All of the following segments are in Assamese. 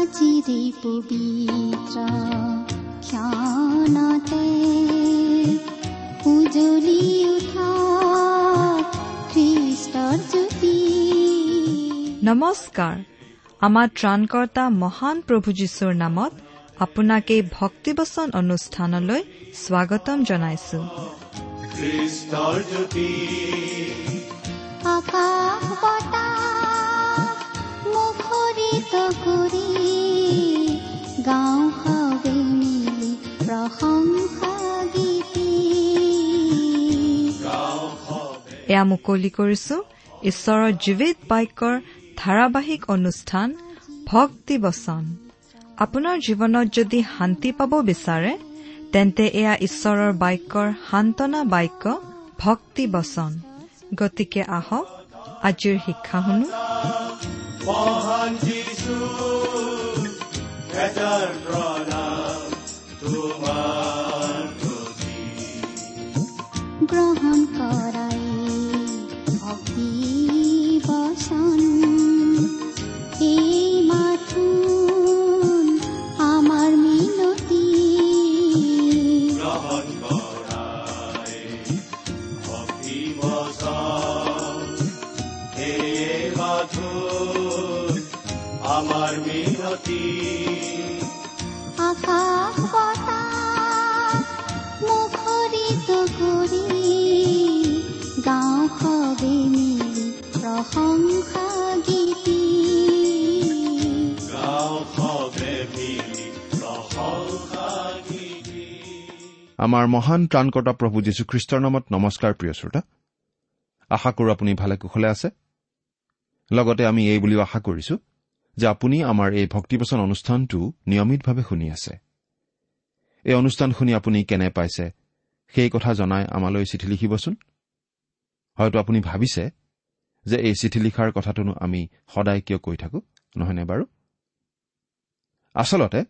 আজিৰে পবিত্ৰ ক্ষণতে উজ্বলি উঠা খ্ৰীষ্টৰ জ্যোতি। নমস্কাৰ। আমাৰ ত্ৰাণকৰ্তা মহান প্ৰভু যীশুৰ নামত আপোনাক এই ভক্তিবচন অনুষ্ঠানলৈ স্বাগতম জনাইছো। খ্ৰীষ্টৰ জ্যোতি আকাশ বতাহ মুখৰিত কৰি গাওঁ সবে মিলি প্ৰশংসা গীতি। এয়া মুকলি কৰিছো ঈশ্বৰৰ জীৱিত বাক্যৰ ধাৰাবাহিক অনুষ্ঠান ভক্তিবচন। আপোনাৰ জীৱনত যদি শান্তি পাব বিচাৰে তেন্তে এয়া ঈশ্বৰৰ বাক্যৰ সান্তনা বাক্য ভক্তিবচন। গতিকে আহক আজিৰ শিক্ষা শুনো। মহান যীশু এজাৰ প্ৰণাম তোমাৰ প্ৰতি। গ্ৰহণ কৰাই ভক্তি বচন এই মাথোন আমাৰ মিনতি। গ্ৰহণ কৰাই ভক্তি বচন এই মাথোন আমাৰ মিনতি। আকাশ বতাহ মুখৰিত কৰি গাওঁ সবে মিলি প্ৰশংসা গীতি। গাওঁ সবে মিলি প্ৰশংসা গীতি। আমাৰ মহান ত্ৰাণকৰ্তা প্ৰভু যীশুখ্ৰীষ্টৰ নামত নমস্কাৰ প্ৰিয় শ্ৰোতা। আশা কৰোঁ আপুনি ভালে কুশলে আছে। লগতে আমি এই বুলিও আশা কৰিছো যে আপুনি আমাৰ এই ভক্তিবচন অনুষ্ঠানটো নিয়মিতভাৱে শুনি আছে। এই অনুষ্ঠান শুনি আপুনি কেনে পাইছে সেই কথা জনাই আমালৈ চিঠি লিখিবচোন। হয়তো আপুনি ভাবিছে যে এই চিঠি লিখাৰ কথাটোনো আমি সদায় কিয় কৈ থাকোঁ, নহয়নে বাৰু? আচলতে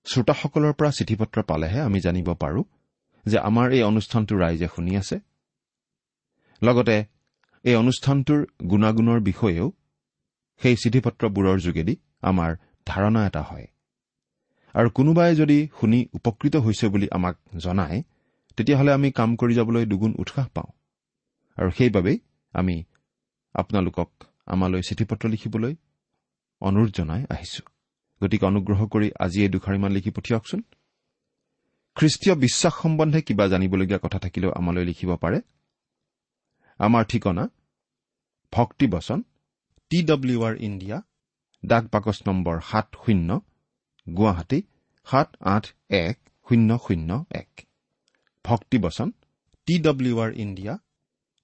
শ্ৰোতাসকলৰ পৰা চিঠি পত্ৰ পালেহে আমি জানিব পাৰোঁ যে আমাৰ এই অনুষ্ঠানটো ৰাইজে শুনি আছে। লগতে এই অনুষ্ঠানটোৰ গুণাগুণৰ বিষয়েও সেই চিঠি পত্ৰবোৰৰ যোগেদি আমাৰ ধাৰণা এটা হয়। আৰু কোনোবাই যদি শুনি উপকৃত হৈছে বুলি আমাক জনায় তেতিয়াহ'লে আমি কাম কৰি যাবলৈ দুগুণ উৎসাহ পাওঁ। আৰু সেইবাবেই আমি আপোনালোকক আমালৈ চিঠি পত্ৰ লিখিবলৈ অনুৰোধ জনাই আহিছোঁ। গতিকে অনুগ্ৰহ কৰি আজি এই দুখাৰিমান লিখি পঠিয়াওকচোন। খ্ৰীষ্টীয় বিশ্বাস সম্বন্ধে কিবা জানিবলগীয়া কথা থাকিলেও আমালৈ লিখিব পাৰে। আমাৰ ঠিকনা ভক্তিবচন TWR India, ডাক বাকচ নম্বৰ 70, গুৱাহাটী 781001। ভক্তিবচন TWR India,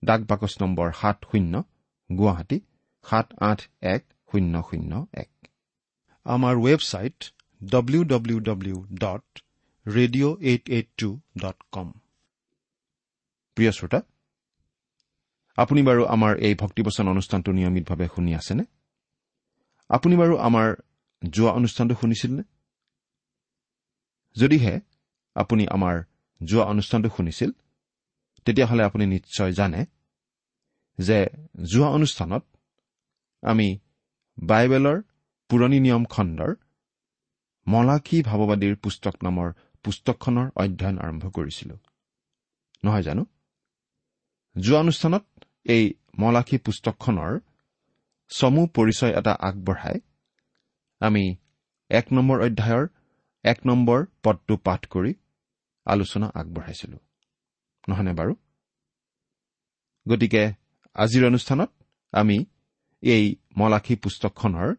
ডাক বাকচ নম্বৰ 70, গুৱাহাটী 781001। আমাৰ ৱেবছাইট www.radio882.com। প্ৰিয় শ্ৰোতা, আপুনি বাৰু আমাৰ এই ভক্তিবচন অনুষ্ঠানটো নিয়মিতভাৱে শুনি আছেনে? আপুনি বাৰু আমাৰ যোৱা অনুষ্ঠানটো শুনিছিলনে? যদিহে আপুনি আমাৰ যোৱা অনুষ্ঠানটো শুনিছিল তেতিয়াহ'লে আপুনি নিশ্চয় জানে যে যোৱা অনুষ্ঠানত আমি বাইবেলৰ পুৰণি নিয়ম খণ্ডৰ মলাখী ভাৱবাদীৰ পুস্তক নামৰ পুস্তকখনৰ অধ্যয়ন আৰম্ভ কৰিছিলোঁ, নহয় জানো? যোৱা অনুষ্ঠানত এই মলাখী পুস্তকখনৰ চমু পৰিচয় এটা আগবঢ়াই আমি 1 নম্বৰ অধ্যায়ৰ 1 নম্বৰ পদটো পাঠ কৰি আলোচনা আগবঢ়াইছিলোঁ, নহয়নে বাৰু? গতিকে আজিৰ অনুষ্ঠানত আমি এই মলাখী পুস্তকখনৰ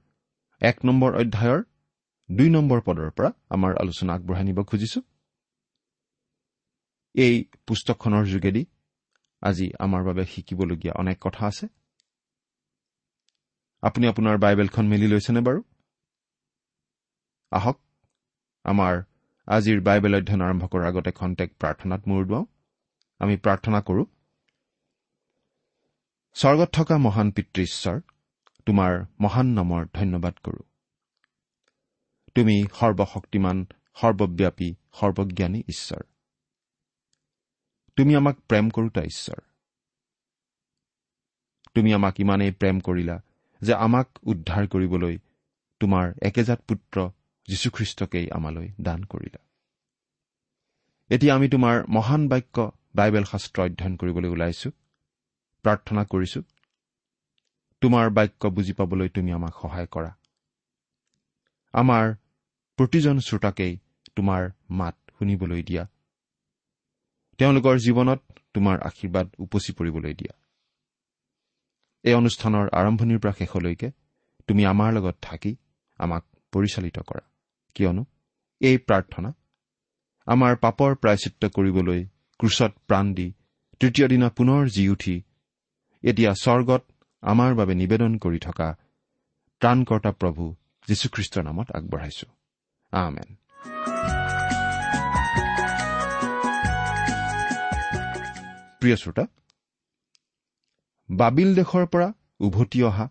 1 নম্বৰ অধ্যায়ৰ 2 নম্বৰ পদৰ পৰা আমাৰ আলোচনা আগবঢ়াই নিব খুজিছোঁ। এই পুস্তকখনৰ যোগেদি আজি আমাৰ বাবে শিকিবলগীয়া অনেক কথা আছে। আপুনি আপোনাৰ বাইবেলখন মেলি লৈছেনে বাৰু? আহক আমাৰ আজিৰ বাইবেল অধ্যয়ন আৰম্ভ কৰাৰ আগতে খন্তেক প্ৰাৰ্থনাত মূৰ দুৱাওঁ। আমি প্ৰাৰ্থনা কৰোঁ। স্বৰ্গত থকা মহান পিতৃ ঈশ্বৰ, তোমাৰ মহান নামৰ ধন্যবাদ কৰোঁ। তুমি সৰ্বশক্তিমান, সৰ্বব্যাপী, সৰ্বজ্ঞানী ঈশ্বৰ। তুমি আমাক প্ৰেম কৰোঁতা ঈশ্বৰ। তুমি আমাক ইমানেই প্ৰেম কৰিলা যে আমাক উদ্ধাৰ কৰিবলৈ তোমাৰ একেজাত পুত্ৰ যীশুখ্ৰীষ্টকেই আমালৈ দান কৰিলা। এতিয়া আমি তোমাৰ মহান বাক্য বাইবেল শাস্ত্ৰ অধ্যয়ন কৰিবলৈ ওলাইছো। প্ৰাৰ্থনা কৰিছো, তোমাৰ বাক্য বুজি পাবলৈ তুমি আমাক সহায় কৰা। আমাৰ প্ৰতিজন শ্ৰোতাকেই তোমাৰ মাত শুনিবলৈ দিয়া, তেওঁলোকৰ জীৱনত তোমাৰ আশীৰ্বাদ উপচি পৰিবলৈ দিয়া। এই অনুষ্ঠানৰ আৰম্ভণিৰ পৰা শেষলৈকে তুমি আমাৰ লগত থাকি আমাক পৰিচালিত কৰা, কিয়নো এই প্ৰাৰ্থনা আমাৰ পাপৰ প্ৰায়শ্চিত্ত কৰিবলৈ ক্ৰুচত প্ৰাণ দি তৃতীয় দিনা পুনৰ জি উঠি এতিয়া স্বৰ্গত আমাৰ বাবে নিবেদন কৰি থকা ত্ৰাণকৰ্তা প্ৰভু যীশুখ্ৰীষ্টৰ নামত আগবঢ়াইছো, আমেন। প্ৰিয় শ্ৰোতা, বাবিল দেশৰ পৰা উভতি অহা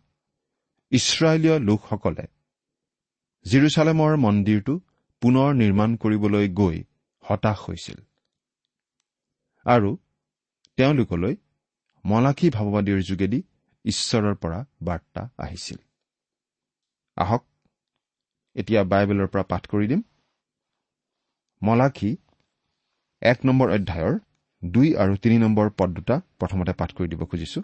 ইছৰাইলীয় লোকসকলে জিৰচালেমৰ মন্দিৰটো পুনৰ নিৰ্মাণ কৰিবলৈ গৈ হতাশ হৈছিল আৰু তেওঁলোকলৈ মলাখী ভাৱবাদীৰ যোগেদি ঈশ্বৰৰ পৰা বাৰ্তা আহিছিল। আহক এতিয়া বাইবেলৰ পৰা পাঠ কৰি দিম। মলাখী 1 নম্বৰ অধ্যায়ৰ 2 আৰু 3 নম্বৰ পদ দুটা প্ৰথমতে পাঠ কৰি দিব খুজিছো।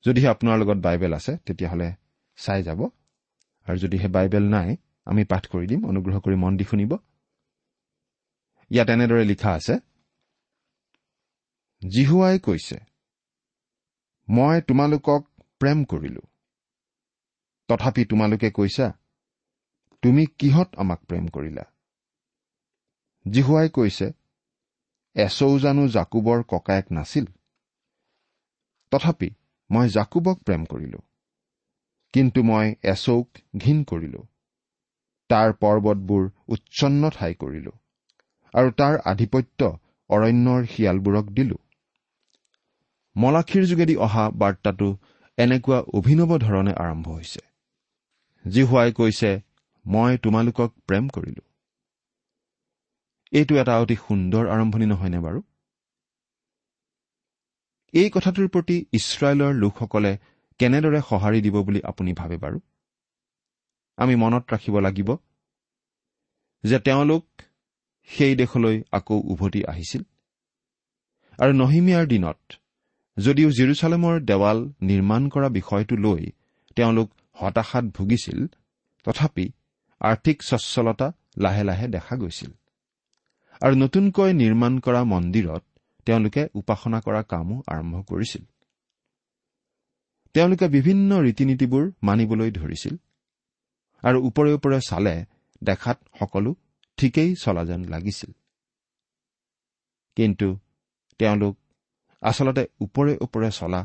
যদিহে আপোনাৰ লগত বাইবেল আছে তেতিয়াহ'লে চাই যাব, আৰু যদিহে বাইবেল নাই আমি পাঠ কৰি দিম, অনুগ্ৰহ কৰি মন দি শুনিব। ইয়াত এনেদৰে লিখা আছে, যিহোৱাই কৈছে, মই তোমালোকক প্ৰেম কৰিলো, তথাপি তোমালোকে কৈছা, তুমি কিহত আমাক প্ৰেম কৰিলা? যিহোৱাই কৈছে, এচৌ জানো যাকোবৰ ককায়েক নাছিল? তথাপি মই যাকোবক প্ৰেম কৰিলো, কিন্তু মই এচৌক ঘিণ কৰিলো, তাৰ পৰ্বতবোৰ উচ্ছন্ন ঠাই কৰিলো আৰু তাৰ আধিপত্য অৰণ্যৰ শিয়ালবোৰক দিলো। মলাখীৰ যোগেদি অহা বাৰ্তাটো এনেকুৱা অভিনৱ ধৰণে আৰম্ভ হৈছে। যিহোৱাই কৈছে, মই তোমালোকক প্ৰেম কৰিলো। এইটো এটা অতি সুন্দৰ আৰম্ভণি নহয়নে বাৰু? এই কথাটোৰ প্ৰতি ইছৰাইলৰ লোকসকলে কেনেদৰে সঁহাৰি দিব বুলি আপুনি ভাবে বাৰু? আমি মনত ৰাখিব লাগিব যে তেওঁলোক সেই দেশলৈ আকৌ উভতি আহিছিল আৰু নহিমিয়াৰ দিনত যদিও জিৰচালেমৰ দেৱাল নিৰ্মাণ কৰা বিষয়টো লৈ তেওঁলোক হতাশাত ভুগিছিল, তথাপি আৰ্থিক স্বচ্ছলতা লাহে লাহে দেখা গৈছিল আৰু নতুনকৈ নিৰ্মাণ কৰা মন্দিৰত তেওঁলোকে উপাসনা কৰা কামো আৰম্ভ কৰিছিল। তেওঁলোকে বিভিন্ন ৰীতি নীতিবোৰ মানিবলৈ ধৰিছিল আৰু ওপৰে ওপৰে চালে দেখাত সকলো ঠিকেই চলা যেন লাগিছিল, কিন্তু তেওঁলোক আচলতে ওপৰে ওপৰে চলা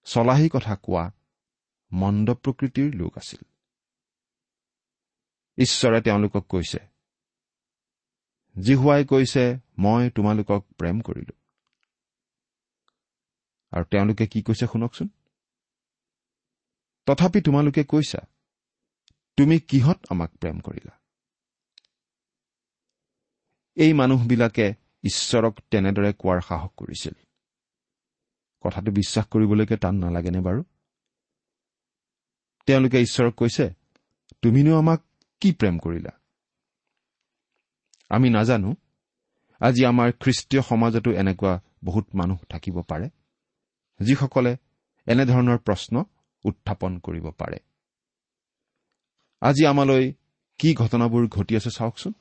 চলাহী কথা কোৱা মন্দ প্ৰকৃতিৰ লোক আছিল। ঈশ্বৰে তেওঁলোকক কৈছে, যিহোৱাই কৈছে, মই তোমালোকক প্ৰেম কৰিলো। আৰু তেওঁলোকে কি কৈছে শুনকচোন, তথাপি তোমালোকে কৈছা, তুমি কিহত আমাক প্ৰেম কৰিলা? এই মানুহবিলাকে ঈশ্বৰক তেনেদৰে কোৱাৰ সাহস কৰিছিল। কথাটো বিশ্বাস কৰিবলৈকে টান নালাগেনে বাৰু? তেওঁলোকে ঈশ্বৰক কৈছে, তুমিনো আমাক কি প্ৰেম কৰিলা? আমি নাজানো, আজি আমাৰ খ্ৰীষ্টীয় সমাজতো এনেকুৱা বহুত মানুহ থাকিব পাৰে যিসকলে এনেধৰণৰ প্ৰশ্ন উত্থাপন কৰিব পাৰে। আজি আমালৈ কি ঘটনাবোৰ ঘটি আছে চাওকচোন।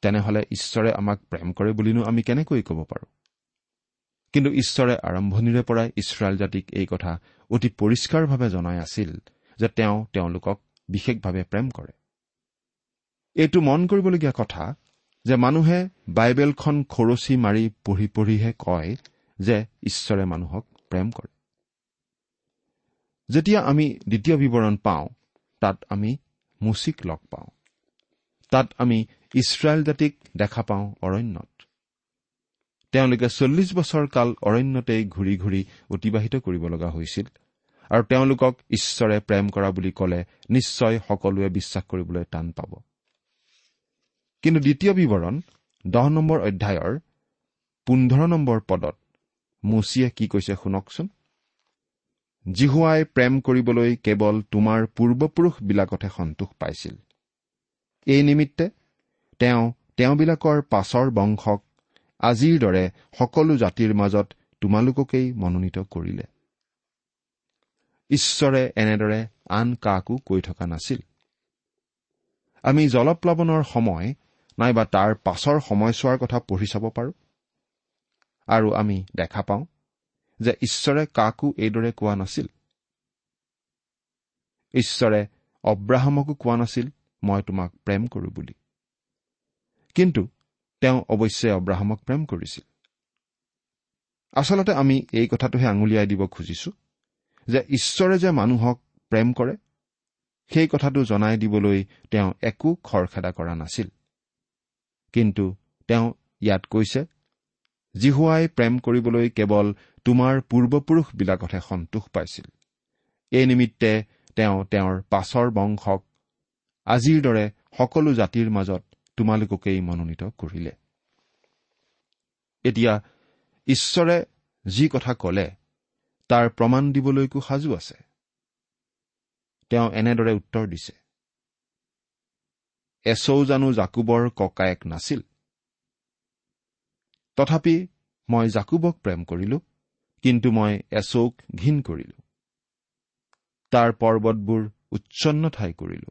তেনেহ'লে ঈশ্বৰে আমাক প্ৰেম কৰে বুলিনো আমি কেনেকৈ ক'ব পাৰোঁ? কিন্তু ঈশ্বৰে আৰম্ভণিৰে পৰাই ইছৰাইল জাতিক এই কথা অতি পৰিষ্কাৰভাৱে জনাই আছিল যে তেওঁ তেওঁলোকক বিশেষভাৱে প্ৰেম কৰে। এইটো মন কৰিবলগীয়া কথা যে মানুহে বাইবেলখন খৰচি মাৰি পঢ়ি পঢ়িহে কয় যে ঈশ্বৰে মানুহক প্ৰেম কৰে। যেতিয়া আমি দ্বিতীয় বিৱৰণ পাওঁ, তাত আমি মোচিক লগ পাওঁ। তাত আমি ইছৰাইল জাতিক দেখা পাওঁ অৰণ্যত। তেওঁলোকে 40 বছৰ কাল অৰণ্যতেই ঘূৰি ঘূৰি অতিবাহিত কৰিব লগা হৈছিল আৰু তেওঁলোকক ঈশ্বৰে প্ৰেম কৰা বুলি ক'লে নিশ্চয় সকলোৱে বিশ্বাস কৰিবলৈ টান পাব। কিন্তু দ্বিতীয় বিৱৰণ 10 নম্বৰ অধ্যায়ৰ 15 নম্বৰ পদত মোচিয়ে কি কৈছে শুনকচোন। যিহোৱাই প্ৰেম কৰিবলৈ কেৱল তোমাৰ পূৰ্বপুৰুষবিলাকতহে সন্তোষ পাইছিল, এই নিমিত্তে তেওঁ তেওঁবিলাকৰ পাছৰ বংশক আজিৰ দৰে সকলো জাতিৰ মাজত তোমালোককেই মনোনীত কৰিলে। ঈশ্বৰে এনেদৰে আন কাকো কৈ থকা নাছিল। আমি জলপ্লাৱনৰ সময় নাইবা তাৰ পাছৰ সময়ছোৱাৰ কথা পঢ়ি চাব পাৰোঁ আৰু আমি দেখা পাওঁ যে ঈশ্বৰে কাকো এইদৰে কোৱা নাছিল। ঈশ্বৰে অব্ৰাহামকো কোৱা নাছিল মই তোমাক প্ৰেম কৰোঁ বুলি, কিন্তু তেওঁ অৱশ্যে অব্ৰাহামক প্ৰেম কৰিছিল। আচলতে আমি এই কথাটোহে আঙুলিয়াই দিব খুজিছো যে ঈশ্বৰে যে মানুহক প্ৰেম কৰে সেই কথাটো জনাই দিবলৈ তেওঁ একো খৰখেদা কৰা নাছিল। কিন্তু তেওঁ ইয়াত কৈছে, যিহোৱাই প্ৰেম কৰিবলৈ কেৱল তোমাৰ পূৰ্বপুৰুষবিলাকতহে সন্তোষ পাইছিল, এই নিমিত্তে তেওঁ তেওঁৰ পাছৰ বংশক আজিৰ দৰে সকলো জাতিৰ মাজত তোমালোককেই মনোনীত কৰিলে। এতিয়া ঈশ্বৰে যি কথা কলে তাৰ প্ৰমাণ দিবলৈকো সাজু আছে। তেওঁ এনেদৰে উত্তৰ দিছে, এচৌ জানো যাকোবৰ ককায়েক নাছিল? তথাপি মই যাকোবক প্ৰেম কৰিলো, কিন্তু মই এচৌক ঘিণ কৰিলো। তাৰ পৰ্বতবোৰ উচ্ছন্ন ঠাই কৰিলো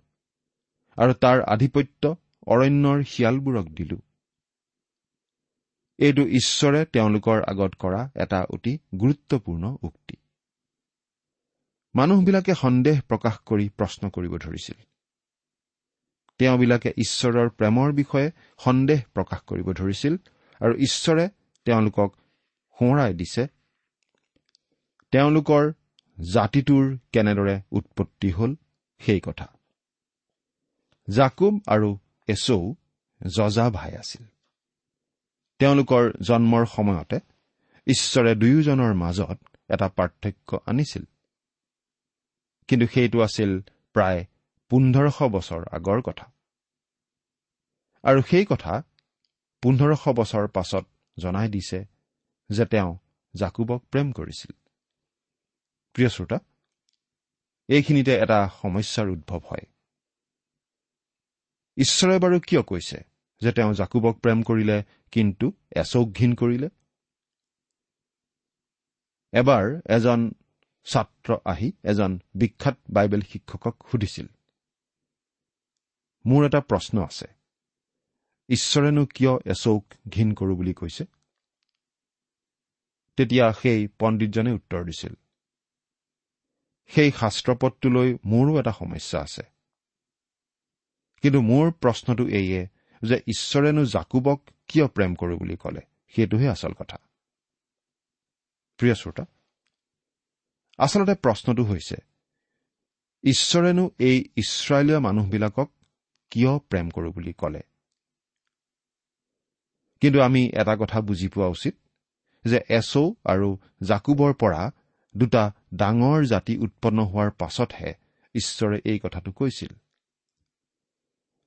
আৰু তাৰ আধিপত্য অৰণ্যৰ শিয়ালবোৰক দিলো। এইটো ঈশ্বৰে তেওঁলোকৰ আগত কৰা এটা অতি গুৰুত্বপূৰ্ণ উক্তি। মানুহবিলাকে সন্দেহ প্ৰকাশ কৰি প্ৰশ্ন কৰিব ধৰিছিল। তেওঁবিলাকে ঈশ্বৰৰ প্ৰেমৰ বিষয়ে সন্দেহ প্ৰকাশ কৰিব ধৰিছিল আৰু ঈশ্বৰে তেওঁলোকক সোঁৱৰাই দিছে তেওঁলোকৰ জাতিটোৰ কেনেদৰে উৎপত্তি হ'ল সেই কথা। যাকোব আৰু এচৌ যজা ভাই আছিল। তেওঁলোকৰ জন্মৰ সময়তে ঈশ্বৰে দুয়োজনৰ মাজত এটা পাৰ্থক্য আনিছিল, কিন্তু সেইটো আছিল প্ৰায় 1500 বছৰ আগৰ কথা। আৰু সেই কথা 1500 বছৰ পাছত জনাই দিছে যে তেওঁ যাকোবক প্ৰেম কৰিছিল। প্ৰিয় শ্ৰোতা, এইখিনিতে এটা সমস্যাৰ উদ্ভৱ হয়। ঈশ্বৰে বাৰু কিয় কৈছে যে তেওঁ যাকোবক প্ৰেম কৰিলে কিন্তু এচৌক ঘিণ কৰিলে? এবাৰ এজন ছাত্ৰ আহি এজন বিখ্যাত বাইবেল শিক্ষকক সুধিছিল, মোৰ এটা প্ৰশ্ন আছে, ঈশ্বৰেনো কিয় এচৌক ঘিণ কৰোঁ বুলি কৈছে? তেতিয়া সেই পণ্ডিতজনে উত্তৰ দিছিল, সেই শাস্ত্ৰপদটোলৈ মোৰো এটা সমস্যা আছে, কিন্তু মোৰ প্ৰশ্নটো এইয়ে যে ঈশ্বৰেনো যাকোবক কিয় প্ৰেম কৰোঁ বুলি ক'লে, সেইটোহে আচল কথা। প্ৰিয় শ্ৰোতা, আচলতে প্ৰশ্নটো হৈছে, ঈশ্বৰেনো এই ইছৰাইলীয় মানুহবিলাকক কিয় প্ৰেম কৰোঁ বুলি ক'লে? কিন্তু আমি এটা কথা বুজি পোৱা উচিত যে এচৌ আৰু যাকোবৰ পৰা দুটা ডাঙৰ জাতি উৎপন্ন হোৱাৰ পাছতহে ঈশ্বৰে এই কথাটো কৈছিল।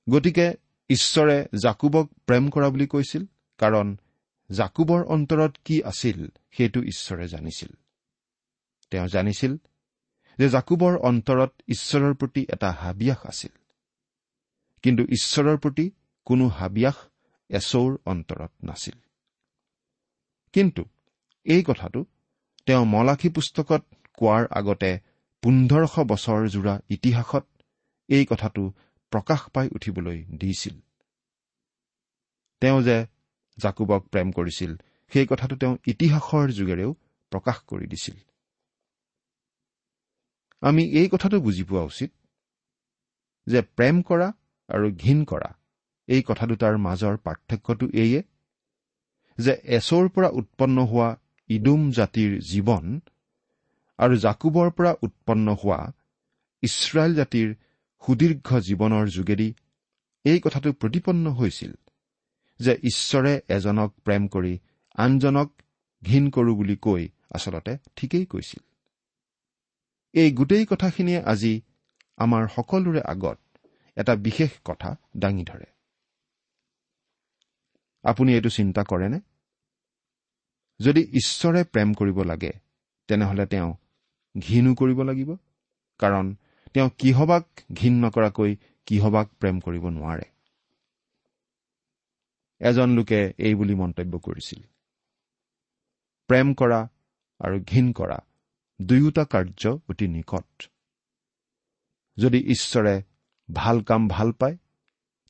গতিকে ঈশ্বৰে যাকোবক প্ৰেম কৰা বুলি কৈছিল, কাৰণ যাকোবৰ অন্তৰত কি আছিল সেইটো ঈশ্বৰে জানিছিল। তেওঁ জানিছিল যে যাকোবৰ অন্তৰত ঈশ্বৰৰ প্ৰতি এটা হাবিয়াস আছিল, কিন্তু ঈশ্বৰৰ প্ৰতি কোনো হাবিয়াস এচৌৰ অন্তৰত নাছিল। কিন্তু এই কথাটো তেওঁ মলাখী পুস্তকত কোৱাৰ আগতে 1500 বছৰ জোৰা ইতিহাসত এই কথাটো প্ৰকাশ পাই উঠিবলৈ দিছিল। তেওঁ যে যাকোবক প্ৰেম কৰিছিল সেই কথাটো তেওঁ ইতিহাসৰ যোগেৰেও প্ৰকাশ কৰি দিছিল। আমি এই কথাটো বুজি পোৱা উচিত যে প্ৰেম কৰা আৰু ঘিণ কৰা এই কথা দুটাৰ মাজৰ পাৰ্থক্যটো এইয়ে যে এচৌৰ পৰা উৎপন্ন হোৱা ইদোম জাতিৰ জীৱন আৰু যাকোবৰ পৰা উৎপন্ন হোৱা ইছৰাইল জাতিৰ সুদীৰ্ঘ জীৱনৰ যোগেদি এই কথাটো প্ৰতিপন্ন হৈছিল যে ঈশ্বৰে এজনক প্ৰেম কৰি আনজনক ঘিণ কৰোঁ বুলি কৈ আচলতে ঠিকেই কৈছিল। এই গোটেই কথাখিনিয়ে আজি আমাৰ সকলোৰে আগত এটা বিশেষ কথা দাঙি ধৰে। আপুনি এইটো চিন্তা কৰেনে? যদি ঈশ্বৰে প্ৰেম কৰিব লাগে তেনেহ'লে তেওঁ ঘিণো কৰিব লাগিব, কাৰণ তেওঁ কিহবাক ঘিণ নকৰাকৈ কিহবাক প্ৰেম কৰিব নোৱাৰে। এজন লোকে এই বুলি মন্তব্য কৰিছিল, প্ৰেম কৰা আৰু ঘিণ কৰা দুয়োটা কাৰ্য অতি নিকট। যদি ঈশ্বৰে ভাল কাম ভাল পায়,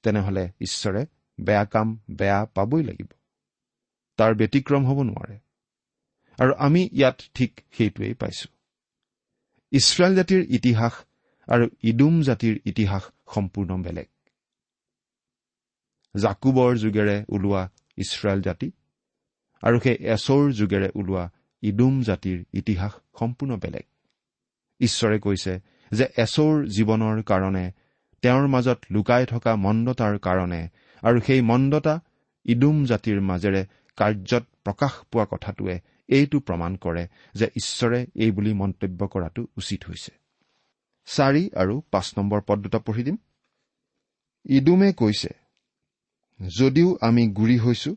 তেনেহ'লে ঈশ্বৰে বেয়া কাম বেয়া পাবই লাগিব, তাৰ ব্যতিক্ৰম হ'ব নোৱাৰে। আৰু আমি ইয়াত ঠিক সেইটোৱেই পাইছো। ইছৰাইল জাতিৰ ইতিহাস আৰু ইদুম জাতিৰ ইতিহাস সম্পূৰ্ণ বেলেগ। জাকুবৰ যুগেৰে ওলোৱা ইছৰাইল জাতি আৰু সেই এচৌৰ যুগেৰে ওলোৱা ইদুম জাতিৰ ইতিহাস সম্পূৰ্ণ বেলেগ। ঈশ্বৰে কৈছে যে এচৌৰ জীৱনৰ কাৰণে, তেওঁৰ মাজত লুকাই থকা মন্দতাৰ কাৰণে আৰু সেই মন্দতা ইদুম জাতিৰ মাজেৰে কাৰ্যত প্ৰকাশ পোৱা কথাটোৱে এইটো প্ৰমাণ কৰে যে ঈশ্বৰে এই বুলি মন্তব্য কৰাটো উচিত হৈছে। 4 আৰু 5 নম্বৰ পদ দুটা পঢ়ি দিম। ইদুমে কৈছে, যদিও আমি গুৰি হৈছো,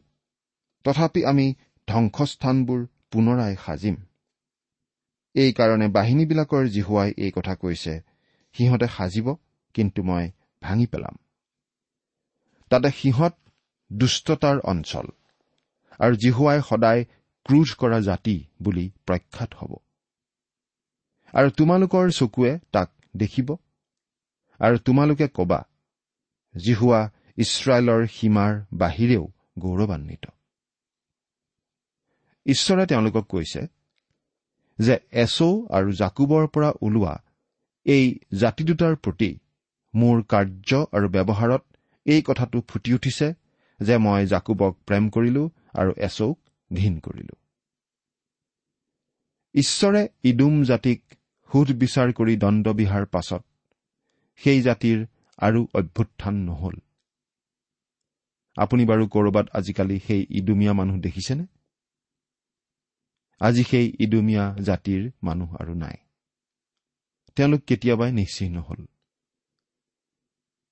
তথাপি আমি ধ্বংসস্থানবোৰ পুনৰাই সাজিম। এইকাৰণে বাহিনীবিলাকৰ যিহোৱাই এই কথা কৈছে, সিহঁতে সাজিব, কিন্তু মই ভাঙি পেলাম। তাতে সিহঁত দুষ্টতাৰ অঞ্চল আৰু যিহোৱাই সদায় ক্ৰোধ কৰা জাতি বুলি প্ৰখ্যাত হ'ব। আৰু তোমালোকৰ চকুৱে তাক দেখিব আৰু তোমালোকে কবা, যিহোৱা ইছৰাইলৰ সীমাৰ বাহিৰেও গৌৰৱান্বিত। ঈশ্বৰে তেওঁলোকক কৈছে যে এচৌ আৰু জাকুবৰ পৰা ওলোৱা এই জাতি দুটাৰ প্ৰতি মোৰ কাৰ্য আৰু ব্যৱহাৰত এই কথাটো ফুটি উঠিছে যে মই জাকুবক প্ৰেম কৰিলো আৰু এচৌক ঘিণ কৰিলো। ঈশ্বৰে ইদুম জাতিক সোধ বিচাৰ কৰি দণ্ড বিহাৰ পাছত সেই জাতিৰ আৰু অভ্যুত্থান নহল। আপুনি বাৰু কৰবাত আজিকালি সেই ইদুমীয়া মানুহ দেখিছেনে? আজি সেই ইদুমীয়া জাতিৰ মানুহ আৰু নাই, তেওঁলোক কেতিয়াবাই নিশ্চিহ্ন হল।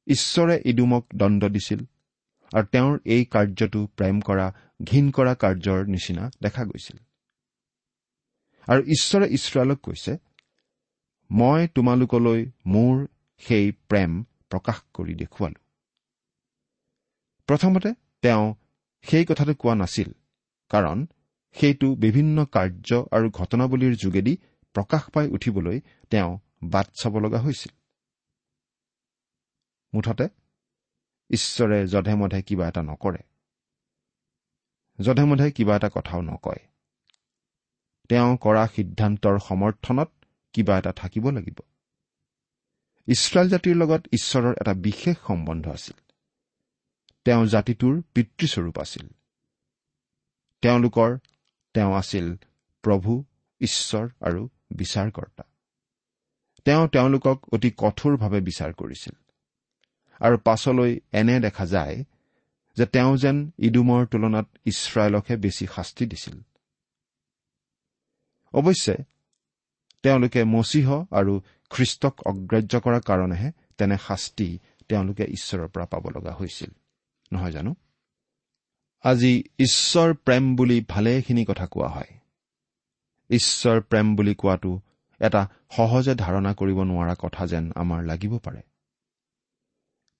ঈশ্বৰে ইদুমক দণ্ড দিছিল আৰু তেওঁৰ এই কাৰ্যটো প্ৰেম কৰা ঘিণ কৰা কাৰ্যৰ নিচিনা দেখা গৈছিল। আৰু ঈশ্বৰে ইছৰাইলক কৈছে, মই তোমালোকলৈ মোৰ সেই প্ৰেম প্ৰকাশ কৰি দেখুৱালো। প্ৰথমতে তেওঁ সেই কথাটো কোৱা নাছিল, কাৰণ সেইটো বিভিন্ন কাৰ্য আৰু ঘটনাৱলীৰ যোগেদি প্ৰকাশ পাই উঠিবলৈ তেওঁ বাট চাব লগা হৈছিল। মুঠতে ঈশ্বৰে যধে মধে কিবা এটা নকৰে, যধে মধে কিবা এটা কথাও নকয়। তেওঁ কৰা সিদ্ধান্তৰ সমৰ্থনত কিবা এটা থাকিব লাগিব। ইছৰাইল জাতিৰ লগত ঈশ্বৰৰ এটা বিশেষ সম্বন্ধ আছিল। তেওঁ জাতিটোৰ পিতৃস্বৰূপ আছিল। তেওঁলোকৰ তেওঁ আছিল প্ৰভু, ঈশ্বৰ আৰু বিচাৰকৰ্তা। তেওঁ তেওঁলোকক অতি কঠোৰভাৱে বিচাৰ কৰিছিল আৰু পাছলৈ এনে দেখা যায় যে তেওঁ যেন ইদুমৰ তুলনাত ইছৰাইলকহে বেছি শাস্তি দিছিল। অৱশ্যে তেওঁলোকে মচীহ আৰু খ্ৰীষ্টক অগ্ৰাহ্য কৰাৰ কাৰণেহে তেনে শাস্তি তেওঁলোকে ঈশ্বৰৰ পৰা পাব লগা হৈছিল, নহয় জানো? আজি ঈশ্বৰ প্ৰেম বুলি ভালেখিনি কথা কোৱা হয়। ঈশ্বৰ প্ৰেম বুলি কোৱাটো এটা সহজে ধাৰণা কৰিব নোৱাৰা কথা যেন আমাৰ লাগিব পাৰে।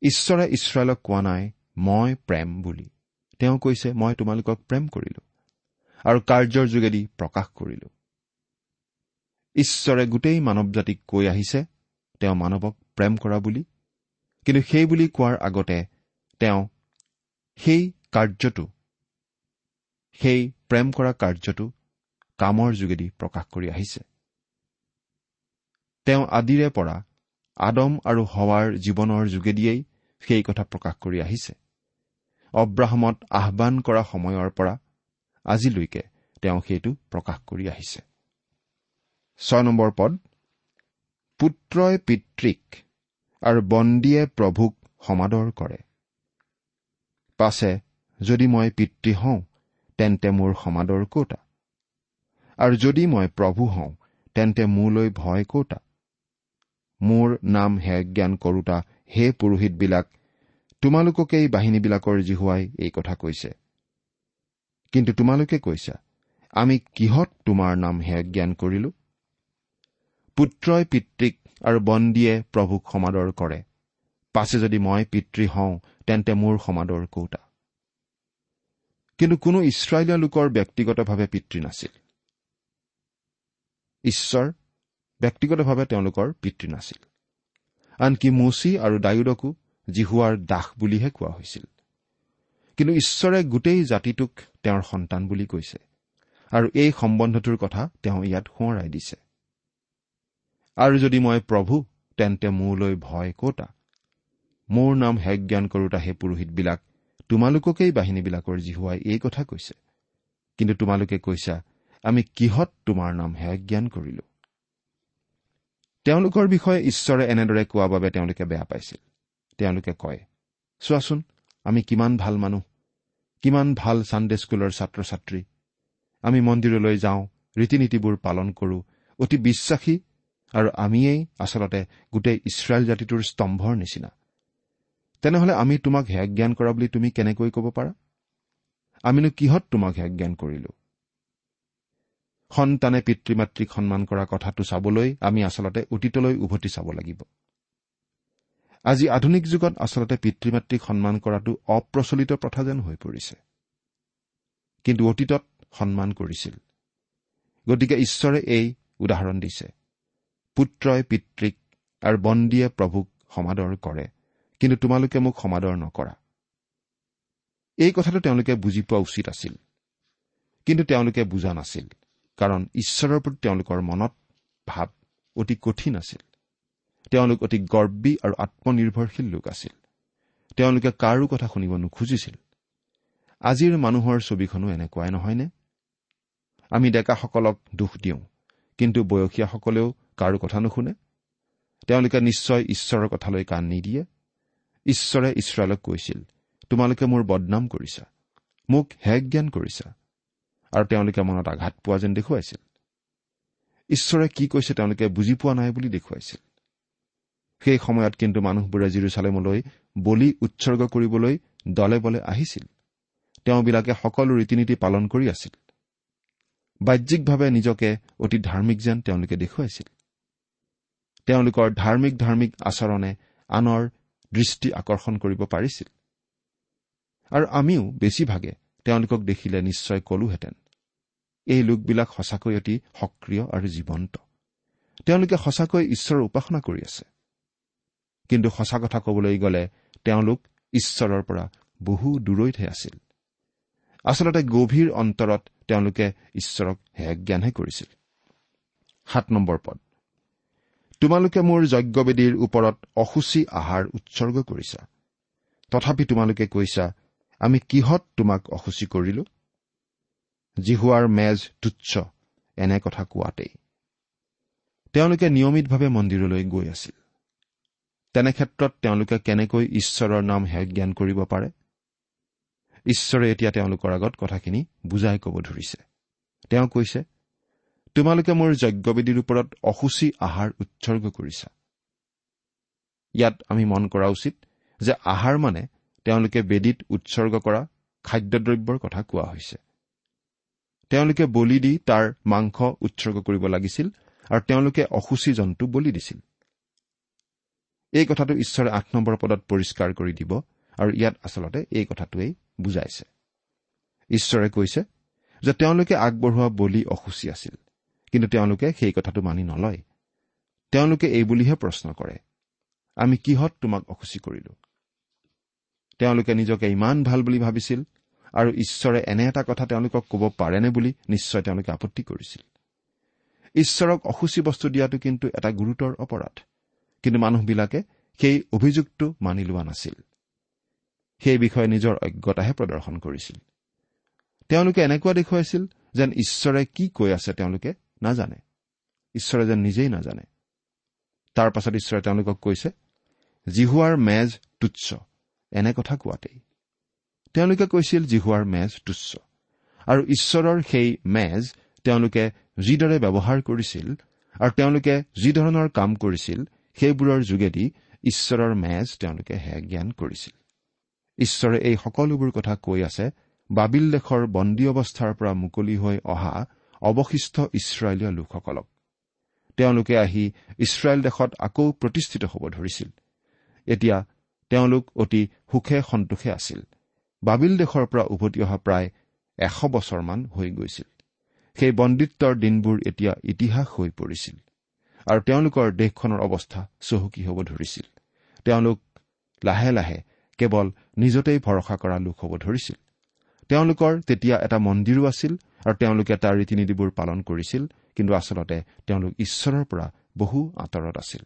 ঈশ্বৰে ইছৰাইলক কোৱা নাই মই প্ৰেম বুলি। তেওঁ কৈছে মই তোমালোকক প্ৰেম কৰিলো আৰু কাৰ্যৰ যোগেদি প্ৰকাশ কৰিলো। ঈশ্বৰে গোটেই মানৱ জাতিক কৈ আহিছে তেওঁ মানৱক প্ৰেম কৰা বুলি, কিন্তু সেই বুলি কোৱাৰ আগতে তেওঁ সেই কাৰ্যটো, সেই প্ৰেম কৰা কাৰ্যটো কামৰ যোগেদি প্ৰকাশ কৰি আহিছে। তেওঁ আদিৰে পৰা আদম আৰু হৱাৰ জীৱনৰ যোগেদিয়েই সেই কথা প্ৰকাশ কৰি আহিছে। অব্ৰাহামত আহ্বান কৰা সময়ৰ পৰা আজিলৈকে তেওঁ সেইটো প্ৰকাশ কৰি আহিছে। 6 নম্বৰ পদ, পুত্ৰই পিতৃক আৰু বন্দীয়ে প্ৰভুক সমাদৰ কৰে। পাছে যদি মই পিতৃ হওঁ তেন্তে মোৰ সমাদৰ ক'তা, আৰু যদি মই প্ৰভু হওঁ তেন্তে মোলৈ ভয় ক'তা? মোৰ নাম হেয়জ্ঞান কৰোতা হে পুৰোহিতবিলাক, তোমালোককেই বাহিনীবিলাকৰ যিহোৱাই এই কথা কৈছে। কিন্তু তোমালোকে কৈছা, আমি কিহত তোমাৰ নাম হেয়জ্ঞান কৰিলো? পুত্ৰই পিতৃক আৰু বন্দীয়ে প্ৰভুক সমাদৰ কৰে, পাছে যদি মই পিতৃ হওঁ তেন্তে মোৰ সমাদৰ কৌতা। কিন্তু কোনো ইছৰাইলীয়া লোকৰ ব্যক্তিগতভাৱে পিতৃ নাছিল। ঈশ্বৰ ব্যক্তিগতভাৱে তেওঁলোকৰ পিতৃ নাছিল। আনকি মোচি আৰু দায়ূদকো যিহোৱাৰ দাস বুলিহে কোৱা হৈছিল। কিন্তু ঈশ্বৰে গোটেই জাতিটোক তেওঁৰ সন্তান বুলি কৈছে আৰু এই সম্বন্ধটোৰ কথা তেওঁ ইয়াত সোঁৱৰাই দিছে। আৰু যদি মই প্ৰভু তেন্তে মোলৈ ভয় কতা, মোৰ নাম হেয়জ্ঞান কৰোতা সেই পুৰোহিতবিলাক, তোমালোককেই বাহিনীবিলাকৰ যিহোৱাই এই কথা কৈছে। কিন্তু তোমালোকে কৈছা, আমি কিহত তোমাৰ নাম হেয়জ্ঞান কৰিলো? তেওঁলোকৰ বিষয়ে ঈশ্বৰে এনেদৰে কোৱা বাবে তেওঁলোকে বেয়া পাইছিল। তেওঁলোকে কয়, চোৱাচোন আমি কিমান ভাল মানুহ, কিমান ভাল ছানডে স্কুলৰ ছাত্ৰ ছাত্ৰী, আমি মন্দিৰলৈ যাওঁ, ৰীতি নীতিবোৰ পালন কৰোঁ, অতি বিশ্বাসী, আৰু আমিয়েই আচলতে গোটেই ইছৰাইল জাতিটোৰ স্তম্ভৰ নিচিনা। তেনেহলে আমি তোমাক হেয়জ্ঞান কৰা বুলি তুমি কেনেকৈ ক'ব পাৰা? আমিনো কিহত তোমাক হেয়জ্ঞান কৰিলো? সন্তানে পিতৃ মাতৃক সন্মান কৰা কথাটো চাবলৈ আমি আচলতে অতীতলৈ উভতি চাব লাগিব। আজি আধুনিক যুগত আচলতে পিতৃ মাতৃক সন্মান কৰাটো অপ্ৰচলিত প্ৰথা যেন হৈ পৰিছে, কিন্তু অতীতত সন্মান কৰিছিল। গতিকে ঈশ্বৰে এই উদাহৰণ দিছে, পুত্ৰই পিতৃক আৰু বন্দীয়ে প্ৰভুক সমাদৰ কৰে, কিন্তু তোমালোকে মোক সমাদৰ নকৰা। এই কথাটো তেওঁলোকে বুজি পোৱা উচিত আছিল, কিন্তু তেওঁলোকে বুজা নাছিল, কাৰণ ঈশ্বৰৰ প্ৰতি তেওঁলোকৰ মনত ভাৱ অতি কঠিন আছিল। তেওঁলোক অতি গৰ্বী আৰু আত্মনিৰ্ভৰশীল লোক আছিল। তেওঁলোকে কাৰো কথা শুনিব নোখোজিছিল। আজিৰ মানুহৰ ছবিখনো এনেকুৱাই নহয়নে? আমি ডেকাসকলক দোষ দিওঁ, কিন্তু বয়সীয়াসকলেও কাৰো কথা নুশুনে। তেওঁলোকে নিশ্চয় ঈশ্বৰৰ কথালৈ কাণ নিদিয়ে। ঈশ্বৰে ইছৰাইলক কৈছিল, তোমালোকে মোৰ বদনাম কৰিছা, মোক হেয়জ্ঞান কৰিছা, আৰু তেওঁলোকে মনত আঘাত পোৱা যেন দেখুৱাইছিল। ঈশ্বৰে কি কৈছে তেওঁলোকে বুজি পোৱা নাই বুলি দেখুৱাইছিল। সেই সময়ত কিন্তু মানুহবোৰে জিৰচালেমলৈ বলি উৎসৰ্গ কৰিবলৈ দলে বলে আহিছিল। তেওঁবিলাকে সকলো ৰীতি নীতি পালন কৰি আছিল। বাহ্যিকভাৱে নিজকে অতি ধাৰ্মিক যেন তেওঁলোকে দেখুৱাইছিল। তেওঁলোকৰ ধাৰ্মিক ধাৰ্মিক আচৰণে আনৰ দৃষ্টি আকৰ্ষণ কৰিব পাৰিছিল। আৰু আমিও বেছিভাগে তেওঁলোকক দেখিলে নিশ্চয় কলোহেঁতেন, এই লোকবিলাক সঁচাকৈ অতি সক্ৰিয় আৰু জীৱন্ত, তেওঁলোকে সঁচাকৈ ঈশ্বৰৰ উপাসনা কৰি আছে। কিন্তু সঁচা কথা ক'বলৈ গ'লে তেওঁলোক ঈশ্বৰৰ পৰা বহু দূৰৈতহে আছিল। আচলতে গভীৰ অন্তৰত তেওঁলোকে ঈশ্বৰক হেয়জ্ঞানহে কৰিছিল। 7 নম্বৰ পদ, তোমালোকে মোৰ যজ্ঞবেদীৰ ওপৰত অশুচি আহাৰ উৎসৰ্গ কৰিছা, তথাপি তোমালোকে কৈছা, আমি কিহত তোমাক অশুচি কৰিলো? যিহোৱাৰ মেজ তুচ্ছ, এনে কথা কোৱাতেই। তেওঁলোকে নিয়মিতভাৱে মন্দিৰলৈ গৈ আছিল। তেনে ক্ষেত্ৰত তেওঁলোকে কেনেকৈ ঈশ্বৰৰ নাম হেয়জ্ঞান কৰিব পাৰে? ঈশ্বৰে এতিয়া তেওঁলোকৰ আগত কথাখিনি বুজাই ক'ব ধৰিছে। তেওঁ কৈছে, তোমালোকে মোৰ যজ্ঞবেদীৰ ওপৰত অশুচি আহাৰ উৎসৰ্গ কৰিছা। ইয়াত আমি মন কৰা উচিত যে আহাৰ মানে তেওঁলোকে বেদীত উৎসৰ্গ কৰা খাদ্যদ্ৰব্যৰ কথা কোৱা হৈছে। তেওঁলোকে বলি দি তাৰ মাংস উৎসৰ্গ কৰিব লাগিছিল আৰু তেওঁলোকে অশুচি জন্তু বলি দিছিল। এই কথাটো ঈশ্বৰে 8 নম্বৰ পদত পৰিষ্কাৰ কৰি দিব আৰু ইয়াত আচলতে এই কথাটোৱেই বুজাইছে। ঈশ্বৰে কৈছে যে তেওঁলোকে আগবঢ়োৱা বলি অশুচি আছিল, কিন্তু তেওঁলোকে সেই কথাটো মানি নলয়। তেওঁলোকে এই বুলিহে প্ৰশ্ন কৰে, আমি কিহত তোমাক অশুচি কৰিলো? তেওঁলোকে নিজকে ইমান ভাল বুলি ভাবিছিল আৰু ঈশ্বৰে এনে এটা কথা তেওঁলোকক ক'ব পাৰেনে বুলি নিশ্চয় তেওঁলোকে আপত্তি কৰিছিল। ঈশ্বৰক অশুচি বস্তু দিয়াটো কিন্তু এটা গুৰুতৰ অপৰাধ, কিন্তু মানুহবিলাকে সেই অভিযোগটো মানি লোৱা নাছিল। সেই বিষয়ে নিজৰ অজ্ঞতাহে প্ৰদৰ্শন কৰিছিল। তেওঁলোকে এনেকুৱা দেখুৱাইছিল যেন ঈশ্বৰে কি কৈ আছে তেওঁলোকে নাজানে, ঈশ্বৰে যেন নিজেই নাজানে। তাৰ পাছত ঈশ্বৰে তেওঁলোকক কৈছে, যিহোৱাৰ মেজ তুচ্ছ, এনে কথা কোৱাতেই। তেওঁলোকে কৈছিল যিহোৱাৰ মেজ তুচ্ছ, আৰু ঈশ্বৰৰ সেই মেজ তেওঁলোকে যিদৰে ব্যৱহাৰ কৰিছিল আৰু তেওঁলোকে যিধৰণৰ কাম কৰিছিল সেইবোৰৰ যোগেদি ঈশ্বৰৰ মেজ তেওঁলোকে হেয়জ্ঞান কৰিছিল। ঈশ্বৰে এই সকলোবোৰ কথা কৈ আছে বাবিল দেশৰ বন্দী অৱস্থাৰ পৰা মুকলি হৈ অহা অৱশিষ্ট ইছৰাইলীয় লোকসকলক। তেওঁলোকে আহি ইছৰাইল দেশত আকৌ প্ৰতিষ্ঠিত হ'ব ধৰিছিল। এতিয়া তেওঁলোক অতি সুখে সন্তোষে আছিল। বাবিল দেশৰ পৰা উভতি অহা প্ৰায় 100 বছৰমান হৈ গৈছিল। সেই বন্দীত্বৰ দিনবোৰ এতিয়া ইতিহাস হৈ পৰিছিল আৰু তেওঁলোকৰ দেশখনৰ অৱস্থা চহকী হ'ব ধৰিছিল। তেওঁলোক লাহে লাহে কেৱল নিজতেই ভৰসা কৰা লোক হ'ব ধৰিছিল। তেওঁলোকৰ তেতিয়া এটা মন্দিৰো আছিল আৰু তেওঁলোকে তাৰ ৰীতি নীতিবোৰ পালন কৰিছিল, কিন্তু আচলতে তেওঁলোক ঈশ্বৰৰ পৰা বহু আঁতৰত আছিল।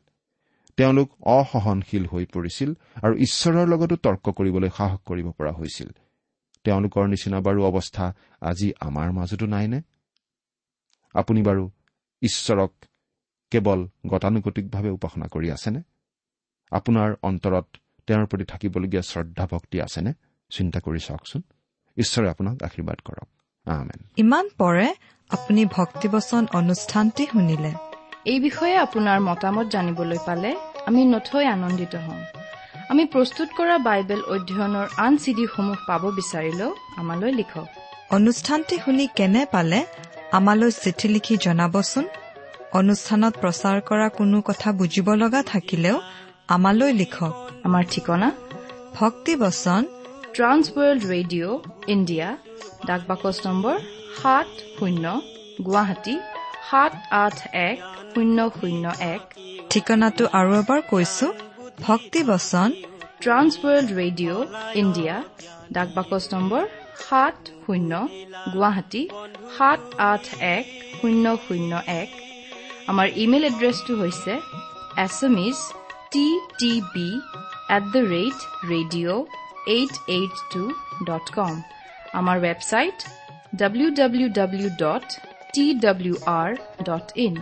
তেওঁলোক অসহনশীল হৈ পৰিছিল আৰু ঈশ্বৰৰ লগতো তৰ্ক কৰিবলৈ সাহস কৰিব পৰা হৈছিল। তেওঁলোকৰ নিচিনা বাৰু অৱস্থা আজি আমাৰ মাজতো নাইনে? আপুনি বাৰু ঈশ্বৰক কেৱল গতানুগতিকভাৱে উপাসনা কৰি আছেনে? আপোনাৰ অন্তৰত তেওঁৰ প্ৰতি থাকিবলগীয়া শ্ৰদ্ধা ভক্তি আছেনে? চিন্তা কৰি চাওকচোন। ঈশ্বৰে আপোনাক আশীৰ্বাদ কৰক। আমেন। ইমান পৰে আপুনি ভক্তিবচন অনুষ্ঠানটি শুনিলে। এই বিষয়ে আপোনাৰ মতামত জানিবলৈ পালে আমি নথৈ আনন্দিত হ'ম। আমি প্ৰস্তুত কৰা বাইবেল অধ্যয়নৰ আন চিডিসমূহ পাব বিচাৰিলেও আমালৈ লিখক। অনুষ্ঠানটি শুনি কেনে পালে আমালৈ চিঠি লিখি জনাবচোন। অনুষ্ঠানত প্ৰচাৰ কৰা কোনো কথা বুজিব লগা থাকিলেও আমালৈ লিখক। আমাৰ ঠিকনা ভক্তিবচন ট্ৰান্স ৱৰ্ল্ড ৰেডিঅ' ইণ্ডিয়া, ডাক বাকচ নম্বৰ 70, গুৱাহাটী 781001। ঠিকনাটো আৰু এবাৰ কৈছো, ভক্তিবচন ট্ৰান্স ৱৰ্ল্ড ৰেডিঅ' ইণ্ডিয়া, ডাক বাকচ নম্বৰ 70, গুৱাহাটী 781001। আমাৰ ইমেইল এড্ৰেছটো হৈছে assamese@ttb@radio882.com। আমাৰ ৱেবছাইট www.twr.in।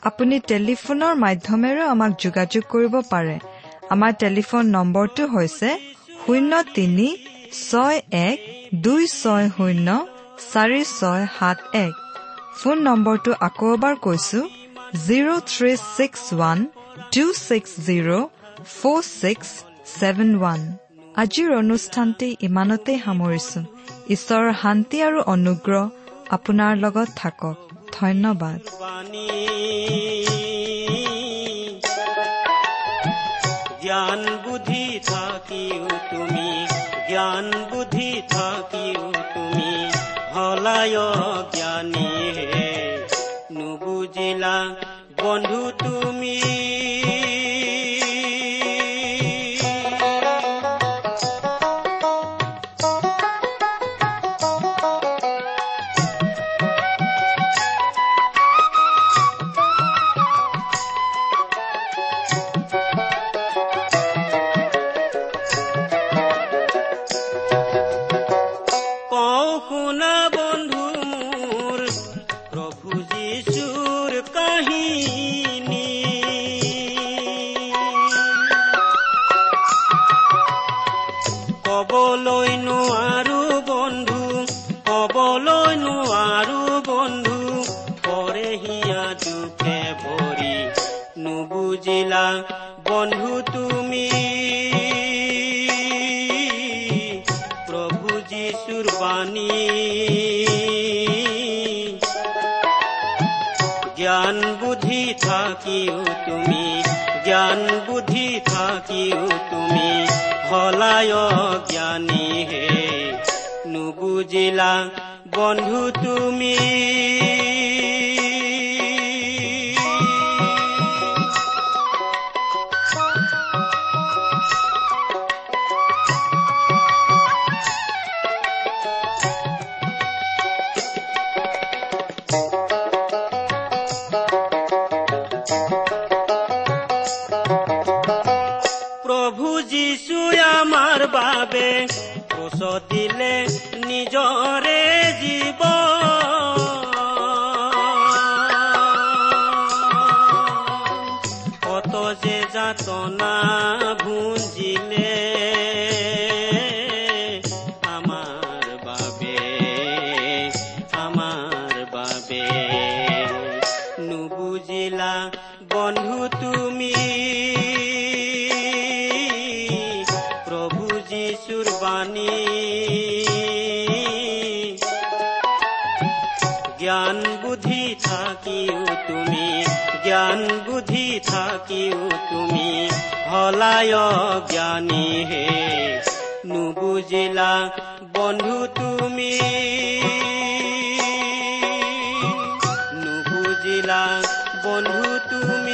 আপুনি টেলিফোনৰ মাধ্যমেৰেও আমাক যোগাযোগ কৰিব পাৰে। আমাৰ টেলিফোন নম্বৰটো হৈছে 03 61 260 4671। ফোন নম্বৰটো আকৌ এবাৰ কৈছো, 0361 260 4671। আজিৰ অনুষ্ঠানটি ইমানতেই সামৰিছো। ঈশ্বৰৰ শান্তি আৰু অনুগ্ৰহ আপোনাৰ লগত থাকক। ধন্যবাদ। জ্ঞান বুদ্ধি থাকিও তুমি, জ্ঞান বুদ্ধি থাকিও তুমি হলায় জ্ঞানী হে, নুবুজিলা বন্ধু তুমি। কবলৈ নোৱাৰো বন্ধু, কবলৈ নোৱাৰো বন্ধু, পৰে হিয়া দুখে ভৰি, নুবুজিলা বন্ধু তুমি প্ৰভু যীশুৰ বাণী। জ্ঞান বুদ্ধি থাকিও তুমি, জ্ঞান বুদ্ধি থাকিও তুমি হলায় জ্ঞানী হে, নুবুজিলা বন্ধু তুমি। বাবে ক্ৰুচ দিলে নিজৰে জীৱ, কত যে যাতনা ভুঞ্জিলে আমাৰ বাবে, আমাৰ বাবে, নুবুজিলা বন্ধু তুমি বাণী। জ্ঞান বুদ্ধি থাকিও তুমি, জ্ঞান বুদ্ধি থাকিও তুমি হলায় জ্ঞানী হে। নুবুজিলা বন্ধু তুমি, নুবুজিলা বন্ধু তুমি।